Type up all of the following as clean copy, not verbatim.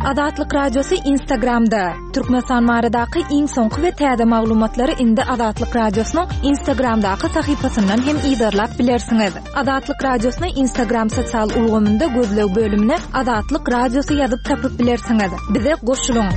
Azatlyk Radiosy Instagramda. Türkmenistan baradaky iň soňky we täze maglumatlary indi Azatlyk Radiosynyň Instagramdaky sahypasyndan hem yzarlap bilersiňiz. Azatlyk Radiosyny Instagram sosial ulgamynda gözleg bölümine Azatlyk Radiosy ýazyp tapyp bilersiňiz. Bize goşulyň!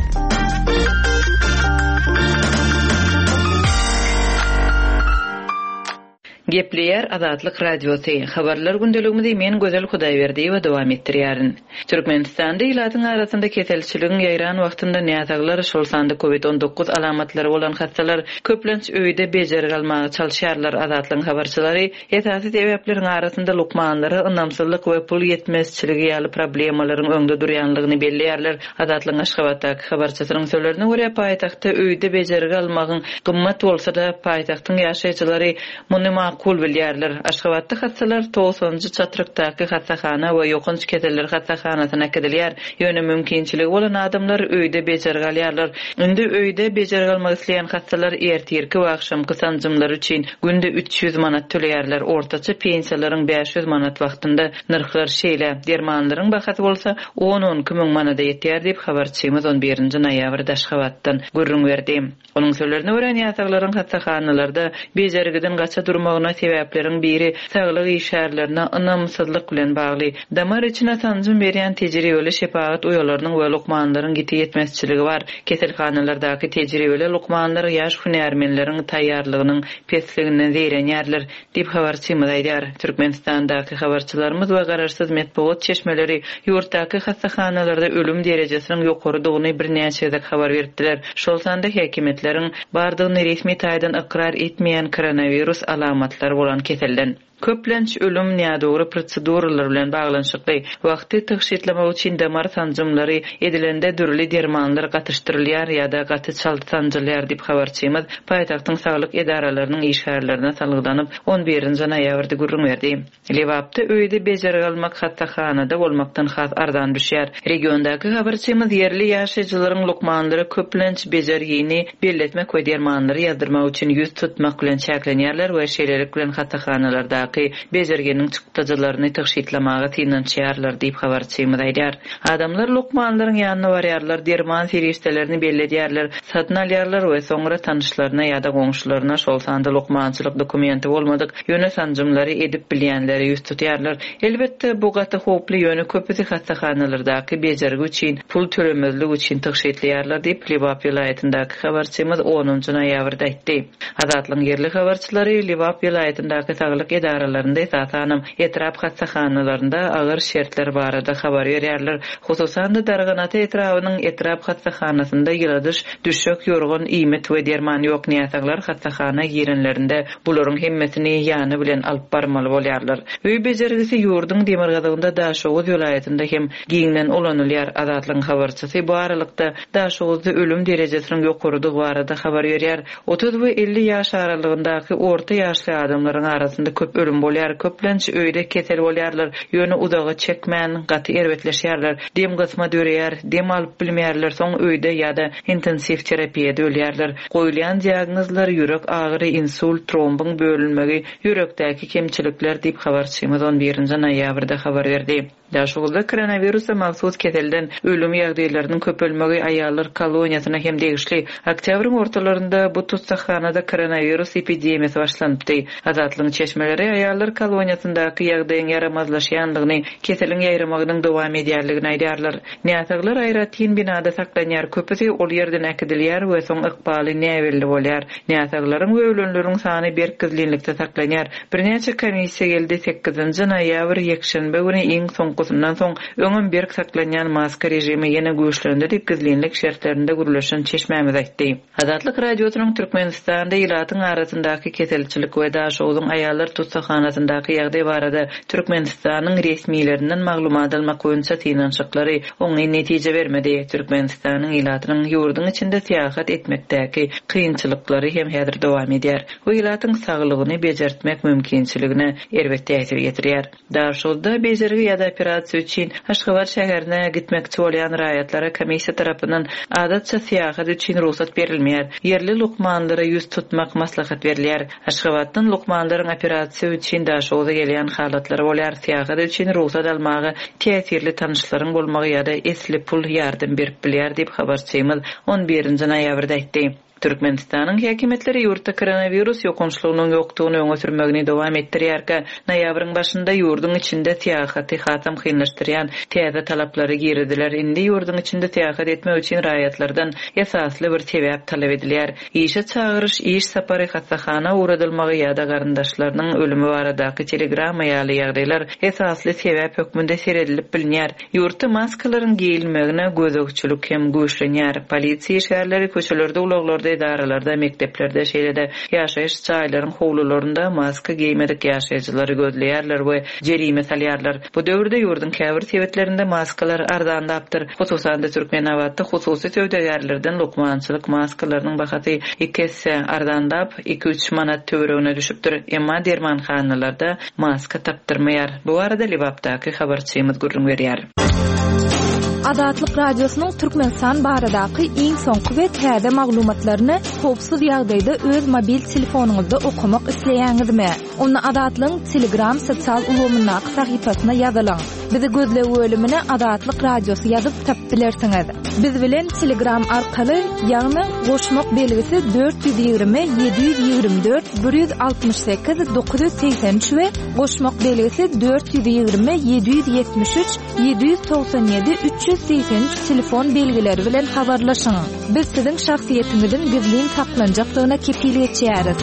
Gepleýär Azatlyk Radiosy, Habarlar gündeligimizi men Gözel Hudaýberdiýewa dowam etdirýärin. Türkmenistanda ilatyň arasynda keselçiligiň ýaýran wagtynda näsaglar, şol sanda covid 19 alamatlary bolan hassalar köplenç öýde bejergi almaga çalyşýarlar. Azatlygyň habarçylary esasy sebäpleriň arasynda lukmanlara ynamsyzlyk we pul ýetmezçiligi ýaly problemalaryň öňde durýanlygyny belleýärler. Azatlygyň Aşgabatdaky habarçysynyň sözlerine görä, paýtagtda öýde bejergi almagyň gymmat bolsa-da, paýtagtyň ýaşaýjylary muny makul bilýärler. Aşgabatda hassalar togsanynjy çatrykdaky hassahana we ýokanç keseller hassahanasyna äkidilýär. Ýöne mümkinçiligi bolan adamlar öýde bejergi alýarlar. Indi öýde bejergi almak isleýän hassalar ertirki we agşamky sanjymlary üçin günde 300 manat töleýärler, ortaça pensiýalaryň 500 manat wagtynda nyrhlar şeýle, dermanlaryň bahasy bolsa on-on iki müň manada ýetýär diýip, habarçymyz on birinji noýabrda Aşgabatdan gürrüň berdi. Onuň sözlerine görä, näsaglaryň hassahanalarda bejergiden gaça durmagyna sebäpleriň biri saglyk işgärlerine ynamsyzlyk bilen bagly. Damar içine sanjym berýän tejribeli şepagat uýalarynyň we lukmanlaryň ýiti ýetmezçiligi bar. Keselhanalardaky tejribeli lukmanlar ýaş hünärmenleriň taýýarlygynyň pesliginden zeýrenýärler. Diýip, habarçymyz aýdýar. Türkmenistandaky habarçylarymyz we garaşsyz metbugat çeşmeleri ýurtdaky hassahanalarda ölüm derejesiniň ýokarydygyny birnäçe gezek habar beripdiler. Şol sanda häkimiýetleriň bardygyny resmi taýdan ykrar etmeýän koronawirus alamatlary bolan keselden. Köplenç ölüm nädogry proseduralar bilen baglanyşykly. Wagty tygşytlamak üçin damar sanjymlary edilende dürli dermanlar gatyşdyrylýar ýa-da gaty çalt sanjylýar diýip, habarçymyz paýtagtyň saglyk edaralarynyň işgärlerine salgylanyp, on birinji noýabrda gürrüň berdi. Lebapda öýde bejergi almak hassahanada bolmakdan has arzan düşýär. Regiondaky habarçymyz ýerli ýaşaýjylaryň lukmanlara köplenç bejergini belletmek we dermanlary ýazdyrmak üçin ýüz tutmak bilen çäklenýärler we şeýlelik bilen hassahanalardaky bejerginiň çykdajylaryny tygşytlamaga synanyşýarlar diýip, habarçymyz aýdýar. Adamlar lukmanlaryň ýanyna barýarlar, derman serişdelerini belledýärler, satyn alýarlar we soňra tanyşlaryna ýa-da goňşularyna, şol sanda lukmançylyk dokumenti bolmadyk, ýöne sanjymlary edip bilýänlere ýüz tutýarlar. Elbetde, bu gaty howply, ýöne köpüsi hassahanalardaky bejergi üçin pul tölemezlik üçin tygşytlaýarlar diýip, Lebap welaýatyndaky habarçymyz onunjy noýabrda aýtdy. Azatlygyň ýerli habarçylary Lebap welaýatyndaky saglyk edaralarynda, esasanam, etrap hassahanalarynda agyr şertler barada habar berýärler. Hususan-da, Darganata etrabynyň etrap hassahanasynda ýyladyş, düşek, ýorgan, iýmit we derman ýok. Näsaglar hassahana girenlerinde bularyň hemmesini ýany bilen alyp barmaly bolýarlar. Öý bejergisi ýurduň demirgazygynda Daşoguz welaýatynda hem giňden ulanylýar. Azatlygyň habarçysy bu aralykda Daşoguzda ölüm derejesiniň ýokarydygy barada habar berýär. 30 we 50 ýaş aralygyndaky orta ýaşly adamlaryň arasynda köp ölüm bolýar. Köplenç öýde kesel bolýarlar, ýöne uzaga çekmän, gaty erbetleşýärler. Dem gysma döreýär, dem alyp bilmeýärler, soň öýde ýa-da intensiw terapiýada ölýärler. Goýulýan diagnozlar, ýürek agyry, insult, trombyň bölünmegi, ýürekdäki kemçilikler diýip, habarçymyz on birinji noýabrda habar berdi. Daşoguzda koronawirusa mahsus keselden ölüm ýagdaýlarynyň köpelmegi aýallar koloniýasyna hem degişli. Oktýabryň ortalarynda bu tussaghanada koronawirus epidemiýasy başlanypdy. Azatlygyň çeşmeleri aýallar koloniýasyndaky ýagdaýyň ýaramazlaşýandygyny, keseliň ýaýramagynyň dowam edýändigini aýdýarlar. Näsaglar aýratyn binada saklanýar, köpüsi ol ýerden äkidilýär we soň ykbaly näbelli bolýar. Näsaglaryň we ölenleriň sany berk gizlinlikde saklanýar. Birnäçe komissiýa geldi, sekizinji noýabr, ýekşenbe güni iň soňkusyndan soň, öňem berk saklanýan maska režimi ýene güýçlendi diýip, gizlinlik şertlerinde gürleşen çeşmämiz aýtdy. Azatlyk Radiosynyň Türkmenistanda ilatyň arasyndaky keselçilik we Daşogzuň aýallar tussaghanasyndaky ýagdaý barada Türkmenistanyň resmilerinden maglumat almak boýunça synanyşyklary oňyn netije bermedi. Türkmenistanyň ilatynyň ýurduň içinde syýahat etmekdäki kynçylyklary hem häzir dowam edýär we ilatyň saglygyny bejertmek mümkinçiligine erbet täsir ýetirýär. Daşoguzda bejergi ýa-da operasiýa üçin Aşgabat şäherine gitmekçi bolýan raýatlara komissiýa tarapyndan adatça syýahat üçin rugsat berilmeýär. Ýerli lukmanlara ýüz tutmak maslahat berilýär. Aşgabatdan lukmanlaryň operasiýa. üçin Daşoguza gelýän halatlary bolýar. Syýahat üçin rugsat almaga täsirli tanyşlaryň bolmagy ýa-da esli pul ýardam berip bilýär diýip, habarçymyz on birinji noýabrda aýtdy. Türkmenistanyň häkimiýetleri ýurtda koronawirus ýokançlygynyň ýokdugyny öňe sürmegini dowam etdirýärkä, noýabryň başynda ýurduň içinde syýahaty hasam kynlaşdyrýan täze talaplary girizdiler. Indi ýurduň içinde syýahat etmek üçin raýatlardan esasly bir sebäp talap edilýär. Işe çagyryş, iş sapary, hassahana ugradylmagy ýa-da garyndaşlarynyň ölümi baradaky telegramma ýaly ýagdaýlar esasly sebäp hökmünde seredilip bilinýär. Ýurtda maskalaryň geýilmegine gözegçilik hem güýçlenýär. Polisiýa işgärleri köçelerde, ulaglarda, edaralarda, mekdeplerde, şeýle-de ýaşaýyş jaýlaryň howlularynda maska geýmedik ýaşaýjylary gözleýärler we jerime salýarlar. Bu döwürde ýurduň käbir sebitlerinde maskalar arzanlapdyr. Hususan-da, Türkmenabatda hususy söwdagärlerden lukmançylyk maskalarynyň bahasy iki esse arzanlap, iki-üç manat töweregine düşüpdir. Emma dermanhanalarda maska tapdyrmaýar. Bu barada Lebapdaky habarçymyz gürrüň berýär. Azatlyk Radiosynyň Türkmenistan baradaky iň soňky we täze maglumatlaryny howpsuz ýagdaýda öz mobil telefonyňyzda okamak isleýäňizmi? Onda Azatlygyň Telegram sosial ulgamyndaky sahypasyna ýazylyň. Bizi gözleg bölümine Azatlyk Radiosy ýazyp tapyp bilersiňiz. Biz bilen Telegram arkaly, ýagny goşmak belgisi 420 724 168 983 we goşmak belgisi 420 773 797 383 telefon belgileri bilen habarlaşyň. Biz siziň şahsyýetiňiziň gizlin saklanjakdygyna kepil geçýäris.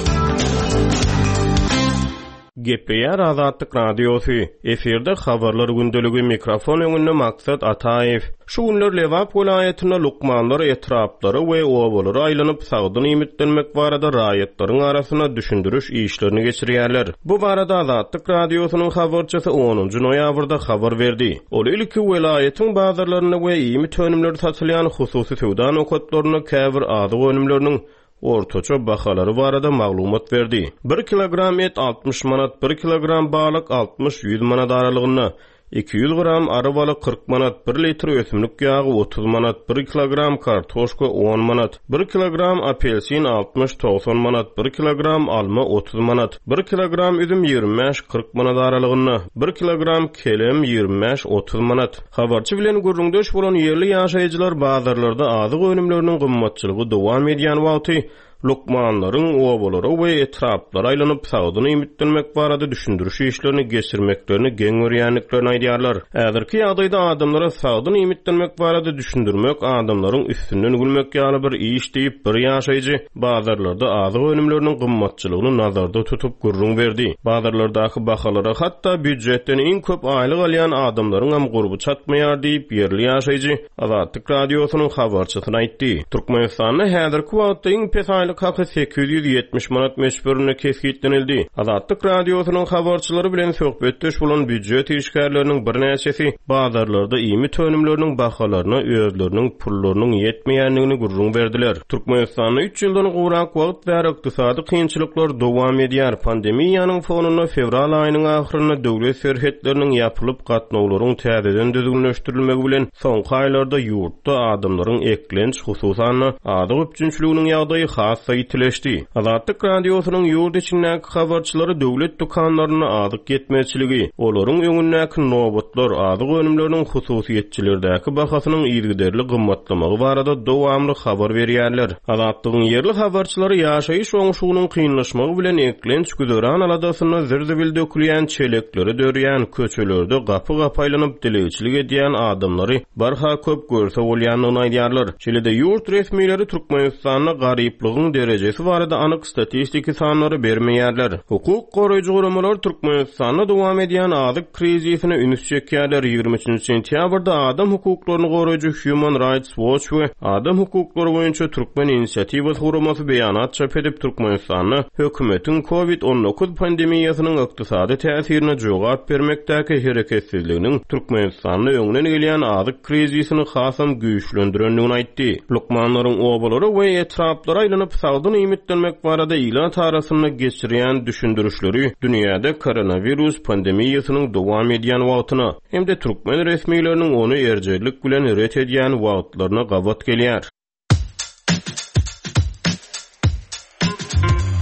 Gepleýär Azatlyk Radiosy, efirde Habarlar gündeligi, mikrofon öňünde Maksat Ataýew. Şu günler Lebap welaýatynda lukmanlar etraplara we obalara aýlanyp, sagdyn iýmitlenmek barada raýatlaryň arasynda düşündiriş işlerini geçirýärler. Bu barada Azatlyk Radiosynyň habarçysy onunjy noýabrda habar berdi. Ol ilki welaýatyň bazarlarynda we iýmit önümleri satylýan hususy söwda nokatlarynda käbir azyk önümleriniň ortaça bahalary barada maglumat berdi. Bir kilogram et 60 manat, bir kilogram balyk altmyş-ýüz manat aralygynda, 200 gram ary baly 40 manat, bir litr ösümlik ýagy 30 manat, bir kilogram kartoşka 10 manat, bir kilogram apelsin altmyş-togsan manat, bir kilogram alma 30 manat, bir kilogram üzüm 25-40 manat aralygynda, bir kilogram kelem 25-30 manat. Habarçy bilen gürrüňdeş bolan ýerli ýaşaýjylar bazarlarda azyk önümleriniň gymmatçylygy dowam edýän wagty lukmanlaryň obalara we etraplara aýlanyp, sagdyn iýmitlenmek barada düşündiriş işlerini geçirmeklerini geň görýändiklerini aýdýarlar. Häzirki ýagdaýda adamlara sagdyn iýmitlenmek barada düşündirmek adamlaryň üstünden gülmek ýaly bir iş diýip, bir ýaşaýjy bazarlarda azyk önümleriniň gymmatçylygyny nazarda tutup gürrüň berdi. Bazarlardaky bahalara hatda býujetden iň köp aýlyk alýan adamlaryňam gurby çatmaýar diýip, ýerli ýaşaýjy Azatlyk Radiosynyň habarçysyna aýtdy. Türkmenistanda häzirki wagtda iň pes aýlyk haky 870 manat möçberinde kesgitlenildi. Azatlyk Radiosynyň habarçylary bilen söhbetdeş bolan býujet işgärleriniň birnäçesi bazarlarda iýmit önümleriniň bahalaryna özleriniň pullarynyň ýetmeýändigini gürrüň berdiler. Türkmenistanda üç ýyldan gowrak wagt bäri ykdysady kynçylyklar dowam edýär. Pandemiýanyň fonunda fewral aýynyň ahyrynda döwlet serhetleriniň ýapylyp, gatnawlaryň täzeden düzgünleşdirilmegi bilen soňky aýlarda ýurtda adamlaryň eklenç, hususan-da, azyk üpjünçiliginiň ýagdaýy has-da ýitileşdi. Azatlyk Radiosynyň ýurt içindäki habarçylary döwlet dükanlarynda azyk ýetmezçiligi, olaryň öňündäki nobatlar, azyk önümleriniň hususyýetçilerdäki bahasynyň yzygiderli gymmatlamagy barada dowamly habar berýärler. Azatlygyň ýerli habarçylary ýaşaýyş oňşugynyň kynlaşmagy bilen eklenç-güzeran aladasynda zir-zibil dökülýän çelekleri dörýän, köçelerde gapy-gapy aýlanyp dilegçilik edýän adamlary barha köp görse bolýandygyny aýdýarlar. Şeýle-de ýurt resmileri Türkmenistanda garyplygyň derejesi barada anyk statistiki sanlary bermeýärler. Hukuk goraýjy guramalar Türkmenistanda dowam edýän azyk krizisine üns çekýärler. 23-nji sentýabrda adam hukuklaryny goraýjy Human Rights Watch we Adam hukuklary boýunça Türkmen inisiatiwasy guramasy beýanat çap edip, Türkmenistanda hökümetiň Covid 19 pandemiýasynyň ykdysady täsirine jogap bermekdäki hereketsizliginiň Türkmenistanda öňden gelýän azyk krizisini hasam güýçlendirendigini aýtdy. Lukmanlaryň obalara we etraplara aýlanyp sagdyn iýmitlenmek barada ilat arasynda geçirýän düşündirişleri dünýäde koronawirus pandemiýasynyň dowam edýän wagtyna hem-de türkmen resmileriniň ony erjellik bilen ret edýän wagtlaryna gabat gelýär.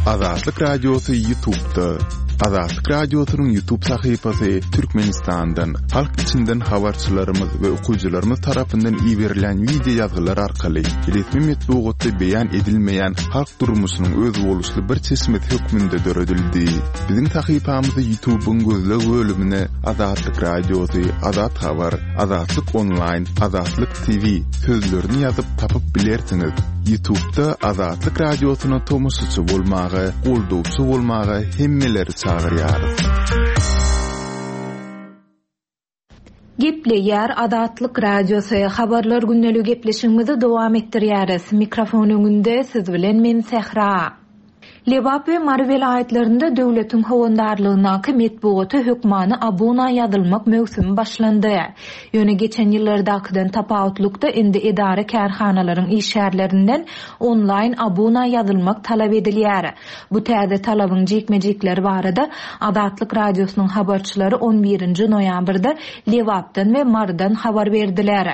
Azatlyk Radiosy YouTube'da. Azatlyk Radiosynyň YouTube sahypasy Türkmenistandan, halk içinden habarçylarymyz we okyjylarymyz tarapyndan iberilýän wideo ýazgylar arkaly resmi metbugatda beýan edilmeýän halk durmuşynyň özboluşly bir çeşmesi hökmünde döredildi. Biziň sahypamyzy YouTube-yň gözleg bölümine Azatlyk Radiosy, Azat Habar, Azatlyk Onlaýn, Azatlyk TV sözlerini ýazyp tapyp bilersiňiz. Ýutubda Azatlyk Radiosyna tomaşaçy bolmaga, goldawçy bolmaga hemmeleri çagyrýarys. Gepleýär Azatlyk Radiosy, Habarlar gündeligi gepleşigimizi dowam etdirýäris. Mikrofon öňünde siz bilen men Sähra. Lebap we Mary welaýatlarynda döwletiň howandarlygyndaky metbugata hökmany abuna ýazylmak möwsümi başlandy. Ýöne geçen ýyllardakydan tapawutlykda indi edara-kärhanalaryň işgärlerinden onlaýn abuna ýazylmak talap edilýär. Bu täze talabyň jikme-jikleri barada Azatlyk Radiosynyň habarçylary on birinji noýabrda Lebapdan we Marydan habar berdiler.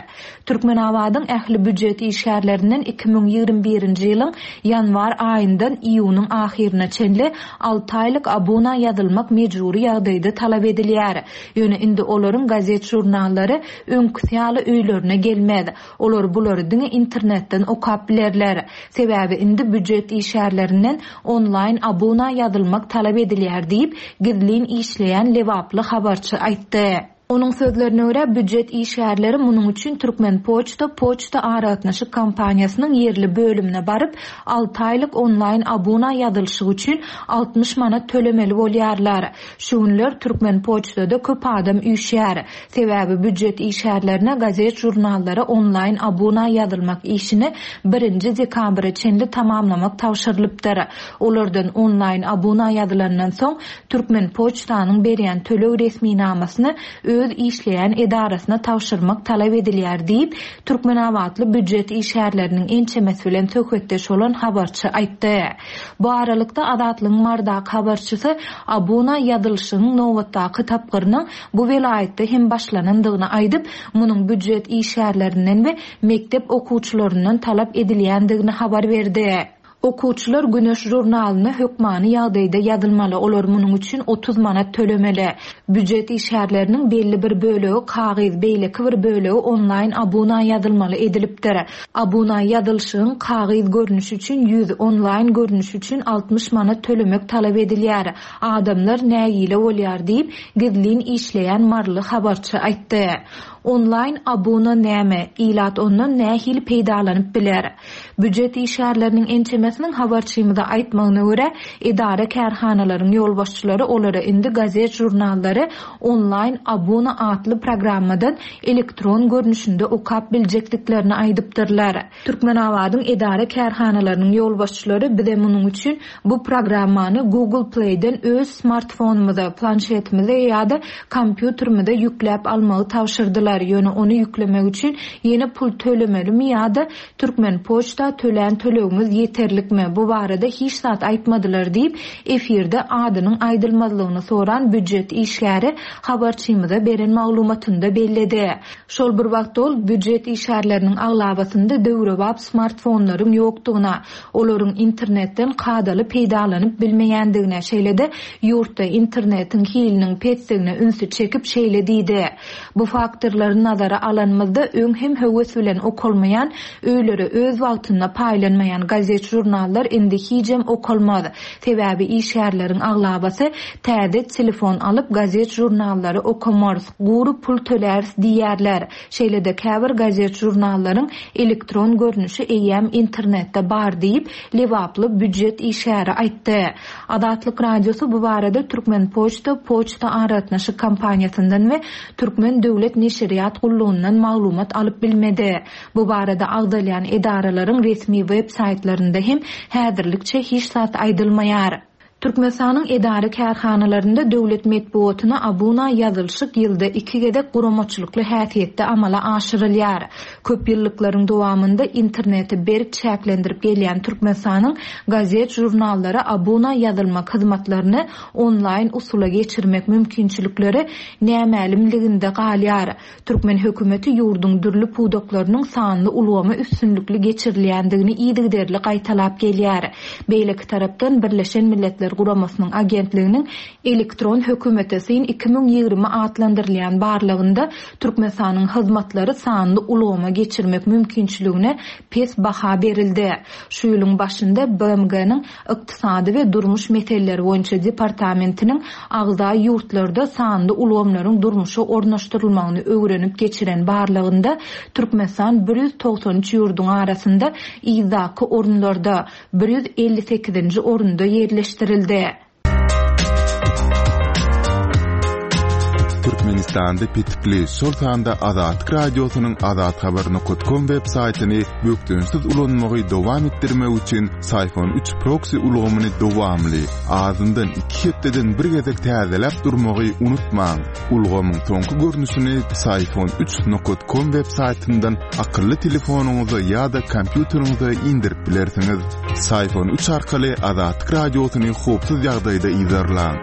Türkmenabadyň ähli býujet işgärlerinden 2021-nji ýylyň ýanwar aýyndan iýunyň ahyryna çenli alty aýlyk abuna ýazylmak mejbury ýagdaýda talap edilýär. Ýöne indi olaryň gazet-žurnallary öňküsi ýaly öýlerine gelmez. Olar bulary diňe internetden okap bilerler. Sebäbi indi býujet işgärlerinden onlaýn abuna ýazylmak talap edilýär diýip, gizlin işleýän lebaply habarçy aýtdy. Onuň sözlerine görä, býujet işgärleri munuň üçin Türkmenpoçta poçta aragatnaşyk kompaniýasynyň ýerli bölümine baryp, alty aýlyk onlaýn abuna ýazylyşyk üçin 60 manat tölemeli bolýarlar. Şu günler Türkmenpoçtada köp adam üýşýär. Sebäbi býujet işgärlerine gazet-žurnallara onlaýn abuna ýazylmak işini birinji dekabra çenli tamamlamak tabşyrylypdyr. Olardan onlaýn abuna ýazylandan soň, Türkmenpoçtanyň berýän töleg resminamasyny öz işleýän edarasyna tabşyrmak talap edilýär diýip, türkmenabatly býujet işgärleriniň ençemesi bilen söhbetdeş bolan habarçy aýtdy. Bu aralykda, Azatlygyň Marydaky habarçysy abuna ýazylyşygyň nobatdaky tapgyrynyň bu welaýatda hem başlanandygyny aýdyp, munuň býujet işgärlerinden we mekdep okuwçylaryndan talap edilýändigini habar berdi. Okuwçylar Güneş žurnalyna hökmany ýagdaýda ýazylmaly, olar munuň üçin 30 manat tölemeli. Býujet işgärleriniň belli bir bölegi kagyz, beýleki bir bölegi onlaýn abuna ýazylmaly edilipdir. Abuna ýazylyşygyň kagyz görnüşi üçin 100, onlaýn görnüşi üçin 60 manat tölemek talap edilýär. Adamlar nägile bolýar diýip, gizlin işleýän maryly habarçy aýtdy. Onlaýn abuna näme? Ilat ondan nähili peýdalanyp biler? Býujet işgärleriniň ençemesiniň habarçymyza aýtmagyna görä, edara-kärhanalaryň ýolbaşçylary olara indi gazet-žurnallary onlaýn abuna atly programmadan elektron görnüşinde okap biljekdiklerini aýdypdyrlar. Türkmenabadyň edara-kärhanalarynyň ýolbaşçylary bize munuň üçin Bu programmany Google Play-den öz smartfonymyza, planşetimize ýa-da kompýuterimize ýükläp almagy tabşyrdylar, ýöne ony ýüklemek üçin ýene pul tölemelimi ýa-da Türkmenpoçta tölän tölegimiz ýeterlikmi, bu barada hiç zat aýtmadylar diýip, efirde adynyň aýdylmazlygyny soran býujet işgäri habarçymyza beren maglumatynda belledi. Şol bir wagtda ol býujet işgärleriniň aglabasynda döwrebap smartfonlaryň ýokdugyna, olaryň internetden kadaly peýdalanyp bilmeýändigine, şeýle-de ýurtda internetiň hiliniň pesdigine ünsi çekip şeýle diýdi, Bu faktorlary nazara alanymyzda, öň hem höwes bilen okalmaýan, öýlere öz wagtynda paýlanmaýan gazet-žurnallar indi hijem okalmaz. Sebäbi işgärleriň aglabasy täze telefon alyp gazet-žurnallary okamarys, gury pul töläris diýýärler. Şeýle-de käbir gazet-žurnallaryň elektron görnüşi eýýäm internetde bar diýip, lebaply býujet işgäri aýtdy. Azatlyk Radiosy bu barada Türkmenpoçta poçta aragatnaşyk kompaniýasyndan we Türkmen döwlet neşirýat gullugyndan maglumat alyp bilmedi. Bu barada agzalýan edaralaryň resmi web saýtlarynda hem häzirlikçe hiç zat aýdylmaýar. Türkmenistanyň edara-kärhanalarynda döwlet metbugatyna abuna ýazylyşyk ýylda iki gezek guramaçylykly häsiýetde amala aşyrylýar. Köp ýyllyklaryň dowamynda interneti berk çäklendirip gelýän Türkmenistanyň gazet-žurnallara abuna ýazylmak hyzmatlaryny onlaýn usula geçirmek mümkinçilikleri nämälimliginde galýar. Türkmen hökümeti ýurduň dürli pudaklarynyň sanly ulgama üstünlikli geçirilýändigini yzygiderli gaýtalap gelýär. Beýleki tarapdan, Birleşen Milletler. Guramasynyň agentliginiň Elektron hökümete syn 2020 atlandyrylýan barlagynda Türkmenistanyň hyzmatlary sanly ulgama geçirmek mümkinçiligine pes baha berildi. Şu ýylyň başynda BMG-niň Ykdysady we durmuş meseleleri boýunça departamentiniň agza ýurtlarda sanly ulgamlaryň durmuşa ornaşdyrylmagyny öwrenip geçiren barlagynda Türkmenistan 193 ýurduň arasynda yzdaky orunlarda, 158-nji orunda ýerleşdirildi. Türkmenistanda petikli, şol sanda Azatlyk Radiosynyň azathabar nokat kom web saýtyny bökdençsiz ulanmagy dowam etdirmek üçin Syfon üç proksi ulgamyny dowamly, azyndan iki hepdeden bir gezek täzeläp durmagy unutmaň. Ulgamyň soňky görnüşini Syfon üç nokat kom web saýtyndan akylly telefonyňyza ýa-da kompýuteriňize indirip bilersiňiz. Syfon üç arkaly Azatlyk Radiosyny howpsuz ýagdaýda yzarlaň.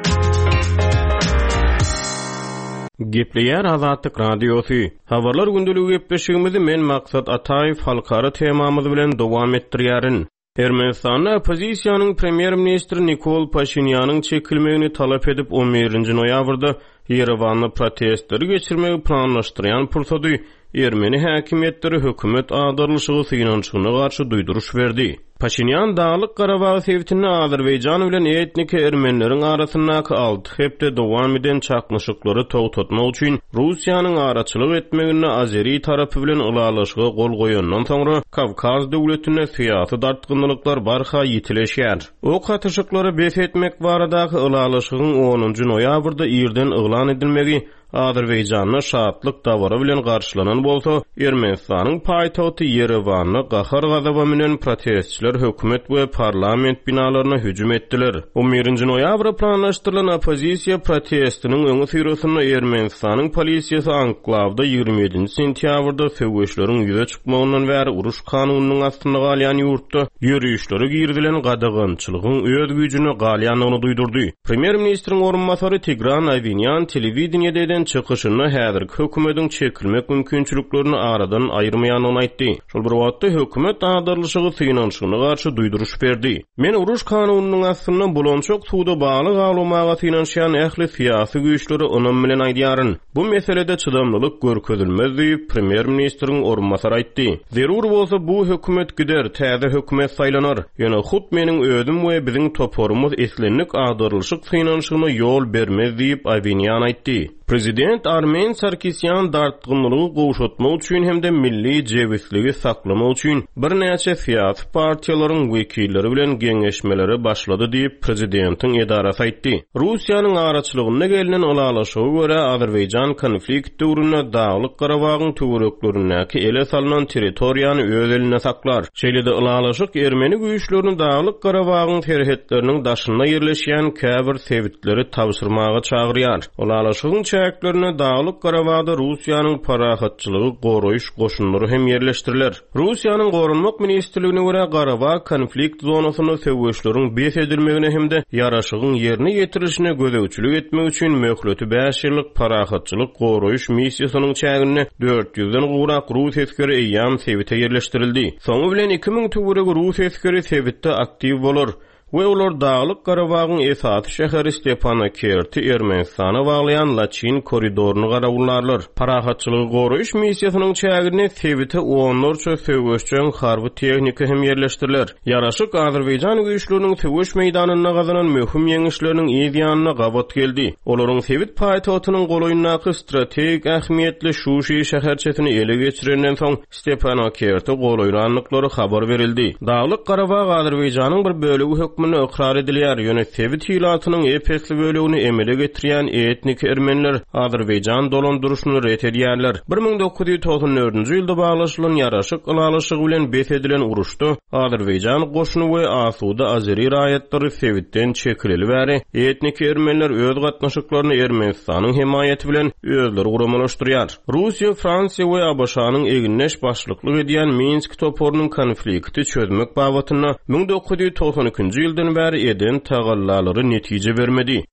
Gepleýär Azatlyk Radiosy. Habarlar gündeligi gepleşigimizi men Maksat Ataýew halkara temamyz bilen dowam etdirýärin. Ermenistanda oppozisiýanyň premýer-ministri Nikol Paşinýanyň çekilmegini talap edip on birinji noýabrda Ýerewanda protestleri geçirmegi planlaşdyrýan pursady ermeni häkimiýetleri hökümet agdarylyşygy synanyşygyna garşy duýduryş berdi. Paşinýan Daglyk-Garabag sebitinde Azerbaýjan bilen etniki ermenileriň arasyndaky alty hepde dowam eden çaknyşyklary togtatmak üçin Russiýanyň araçylyk etmeginde azeri tarapy bilen ylalaşyga gol goýandan soňra Kawkaz döwletinde syýasy dartgynlyklar barha ýitileşýär. Ok atyşyklary bes etmek baradaky ylalaşygyň onunjy noýabrda irden yglan edilmegi Azerbaýjanda şatlyk dabara bilen garşylanan bolsa, Ermenistanyň paýtagty Ýerewanda gahar-gazaba münen protestçiler hökümet we parlament binalaryna hüjüm etdiler. On birinji noýabra planlaşdyrylan oppozisiýa protestiniň öňüsyrasynda Ermenistanyň polisiýasy anklawda 27-nji sentýabrda söweşleriň ýüze çykmagyndan bäri uruş kanunynyň astynda galýan ýurtda ýörişlere girizilen gadagançylygyň öz güýjünde galýandygyny duýdurdy. Premýer-ministriň orunbasary Tigran Awinýan telewideniýede eden çykyşynda häzirki hökümediň çekilmek mümkinçiliklerini aradan aýyrmaýandygyny aýtdy. Şol bir wagtda, hökümet agdarylyşygy synanyşygyna garşy duýduryş berdi. Men uruş kanunynyň astynda bulançak suwda balyk awlamaga synanyşýan ähli syýasy güýçlere ynam bilen aýdýaryn, bu meselede çydamlylyk görkezilmez diýip, premýer-ministriň orunbasary aýtdy. Zerur bolsa, bu hökümet gider, täze hökümet saýlanar. Ýöne hut meniň özüm we biziň toparymyz islendik agdarylyşyk synanyşygyna ýol bermez diýip, Awinýan aýtdy. Prezident Armen Sarkisýan dartgynlylygy gowşatmak üçin hem-de milli jebisligi saklamak üçin birnäçe syýasy partiýalaryň wekilleri bilen geňeşmelere başlady diýip, prezidentiň edarasy aýtdy. Russiýanyň araçylygynda gelnen ylalaşyga görä, Azerbaýjan konflikt döwründe Daglyk-Garabagyň töwereklerindäki ele salnan territoriýany öz elinde saklar. Şeýle-de ylalaşyk ermeni güýçlerini Daglyk-Garabagyň serhetleriniň daşynda ýerleşýän käbir sebitleri tabşyrmaga çagyrýar. Ylalaşygyň çäklerinde Daglyk-Garabagda Russiýanyň parahatçylygy goraýyş goşunlary hem ýerleşdiriler. Russiýanyň Goranmak ministrligine görä, Garabag konflikt zonasynda söweşleriň bes edilmegine hem-de ýaraşygyň ýerine ýetirilişine gözegçilik etmek üçin möhleti bäş ýyllyk parahatçylyk goraýyş missiýasynyň çäginde dört ýüzden gowrak rus esgeri eýýäm sebite ýerleşdirildi. Soňy bilen 2000 töweregi rus esgeri sebitde aktiw bolar. We olar Daglyk Garabagyň esasy şäheri Stepanakerti Ermenistana baglaýan Laçyn koridoryny garawullarlar. Parahatçylygy goraýyş missiýasynyň çäginde sebite onlarça söweşjeň harby tehnika hem ýerleşdiriler. Ýaraşyk azerbaýjan güýçleriniň söweş meýdanynda gazanan möhüm ýeňişleriniň yz ýanyna gabat geldi. Olaryň sebit paýtagtynyň golaýyndaky strategik ähmiýetli Şuşi şäherçesini ele geçirenden soň Stepanakerti golaýlandyklary habar berildi. Daglyk Garabag Azerbaýjanyň bir bölegi hökmünde ykrar edilýär, ýöne sebit ilatynyň ep-esli bölegini emele getirýän etniki ermeniler Azerbaýjan dolandyryşyny ret edýärler. 1994-nji ýylda baglaşylan ýaraşyk ylalaşygy bilen bes edilen uruşda Azerbaýjan goşuny we asuda azeri raýatlary sebitden çekileli bäri etniki ermeniler öz gatnaşyklaryny Ermenistanyň hemaýaty bilen özleri guramalaşdyrýar. Russiýa, Fransiýa we ABŞ-nyň egindeş başlyklyk edýän Minsk toparynyň konflikti çözmek babatynda 1992-nji ýyldan bäri eden tagallalary netije bermedi.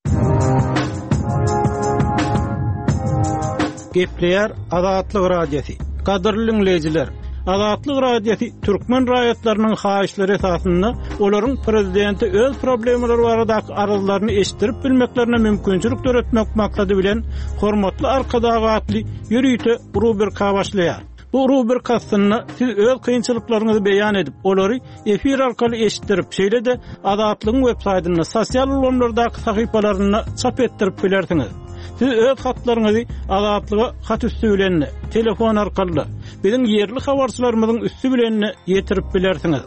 Gepleýär Azatlyk Radiosy. Gadyrly diňleýjiler! Azatlyk Radiosy türkmen raýatlarynyň haýyşlary esasynda olaryň prezidente öz problemalary baradaky arzlaryny eşitdirip bilmeklerine mümkinçilik döretmek maksady bilen Hormatly Arkadag atly ýörite rubrika başlaýar. Bu rubrika astynda siz öz kynçylyklaryňyzy beýan edip, olary efir arkaly eşitdirip, şeýle-de Azatlygyň web saýtynda, sosial ulgamlardaky sahypalarynda çap etdirip bilersiňiz. Siz öz hatlaryňyzy Azatlyga hat üsti bilen-de, telefon arkaly-da, biziň ýerli habarçylarymyzyň üsti bilen-de ýetirip bilersiňiz.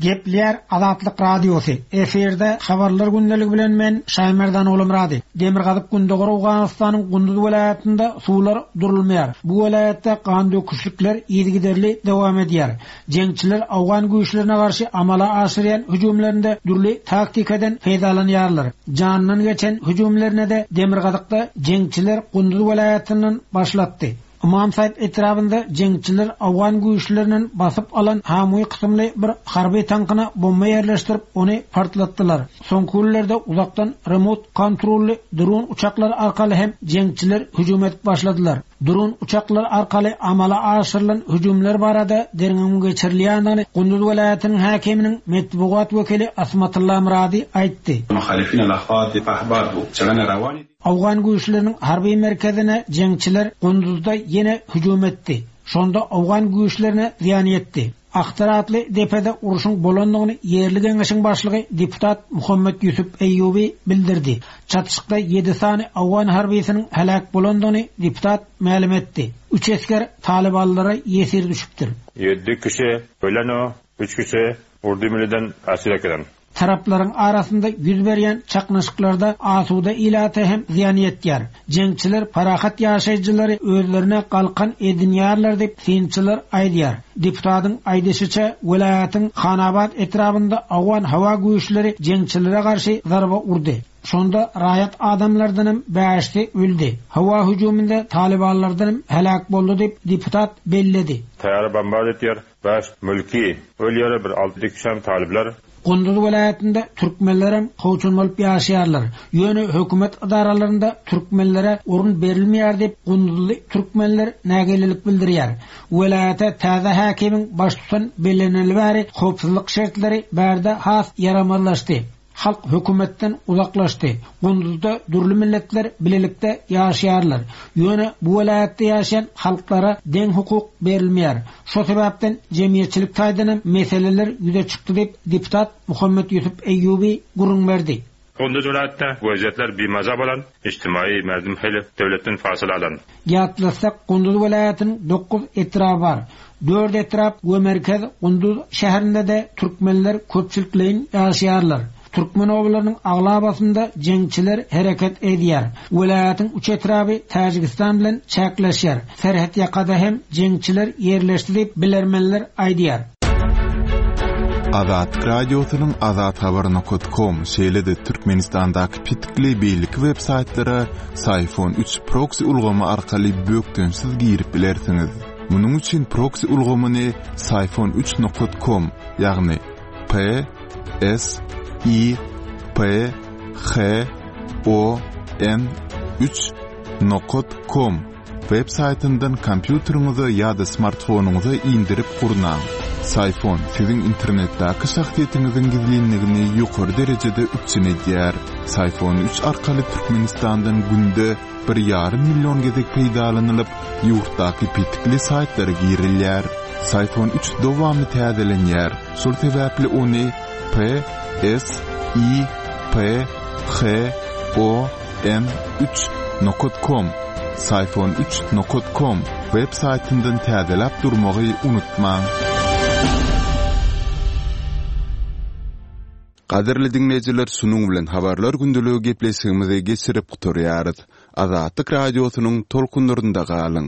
Gepleýär Azatlyk Radiosy, efirde Habarlar gündeligi bilen men Şaýmerdan Ogulmyrady. Demirgazyk-gündogar Owganystanyň Gunduz welaýatynda suwlar durulmaýar. Bu welaýatda gandöküşlikler yzygiderli dowam edýär. Jeňçiler owgan güýçlerine garşy amala aşyrýan hüjümlerinde dürli taktikadan peýdalanýarlar. Janyndan geçen hüjümlerine-de demirgazykda jeňçiler Gunduz welaýatyndan başlatdy. Ymam Saýyp etrabynda jeňçiler owgan güýçlerinden basyp alan Hamwi kysymly bir harby tankyna bomba ýerleşdirip, ony partlatdylar. Soňky günlerde uzakdan remot kontrolly dron uçaklary arkaly hem jeňçiler hüjüm edip başladylar. Dron uçaklary arkaly amala aşyrylan hüjümler barada derňewiň geçirilýändigini Gunduz welaýatynyň häkiminiň metbugat wekili Asmatylla Myrady aýtdy. Owgan güýçleriniň harby merkezine jeňçiler Gunduzda ýene hüjüm etdi. Şonda owgan güýçlerine zyýan ýetdi. Ahtar atly depede urşuň bolandygyny ýerli geňeşiň başlygy deputat Muhammet Ýusup Eýýubi bildirdi. Çatyşykda ýedi sany owgan harbysynyň heläk bolandygyny deputat mälim etdi. Üç esger talybanlara ýesir düşüpdir. Ýedi kişi ölen, üç kişi urdu milliden esir ekilen. Taraplaryň arasynda ýüz berýän çaknyşyklarda asuda ilata hem zyýan ýetýär. Jeňçiler parahat ýaşaýjylary özlerine galkan edinýärler diýip, synçylar aýdýar. Deputatyň aýdyşyça, welaýatyň Hanabat etrabynda owgan howa güýçleri jeňçilere garşy zarba urdy. Şonda raýat adamlardanam bäşisi öldi. Howa hüjüminde talybanlardanam heläk boldy diýip, deputat belledi. Täýara bombard etýär. Bäş mülki ölýär bir alty kişem talyplar. Gunduz welaýatynda türkmenlerem kowçum bolup ýaşaýarlar. Ýöne hökümet edaralarynda türkmenlere orun berilmeýär diýip, gunduzly türkmenler nägilelik bildirýär. Welaýata täze häkimiň baştutan belleneli bäri howpsuzlyk şertleri bärde has ýaramazlaşdy. Halk hökümetden uzaklaşdy. Gunduzda dürli milletler bilelikde ýaşaýarlar. Ýöne bu welaýatda ýaşaýan halklara deň hukuk berilmeýär. Şo sebäpden jemgyýetçilik taýdan hem meseleler ýüze çykdy diýip, deputat Muhammet Ýusup Eýýubi gürrüň berdi. Gunduz welaýatda weziýetler bimaza bolan, ijtimaýy merdim hili döwletden fasyla alan. Ýatlatsak, Gunduz welaýatynyň dokuz etraby bar. Dört etrap we merkez Gunduz şäherinde-de türkmenler köpçülikleýin ýaşaýarlar. Türkmen obalarynyň aglabasynda jeňçiler hereket edýär. Welaýatyň üç etraby Täjigistan bilen çäkleşýär. Serhetýakada hem jeňçiler ýerleşdi diýip, bilermenler aýdýar. Azatlyk Radiosynyň Azathabar nokat kom, şeýle-de Türkmenistandaky petikli beýleki web saýtlara Syfon üç proksi ulgamy arkaly bökdençsiz girip bilersiňiz. Munuň üçin proksi ulgamyny Syfon üç nokat kom, ýagny P S I P H O N üç nokat kom Web saýtyndan kompýuteriňize ýa-da smartfonyňyza indirip gurnaň. Syfon siziň internetdäki şahsyýetiňiziň gizlinligini ýokary derejede üpjün edýär. Syfon üç arkaly Türkmenistandan günde bir ýarym million gezek peýdalanylyp, ýurtdaky petikli saýtlara girilýär. Syfon üç dowamly täzelenýär, şol sebäpli ony P S I P H O M üç nokat kom Syfon üç nokat kom web saýtyndan täzeläp durmagy unutmaň. Gadyrly diňleýjiler şunuň bilen Habarlar gündeligi gepleşigimizi geçirip gutarýarys. Azatlyk Radiosynyň tolkunlarynda galyň.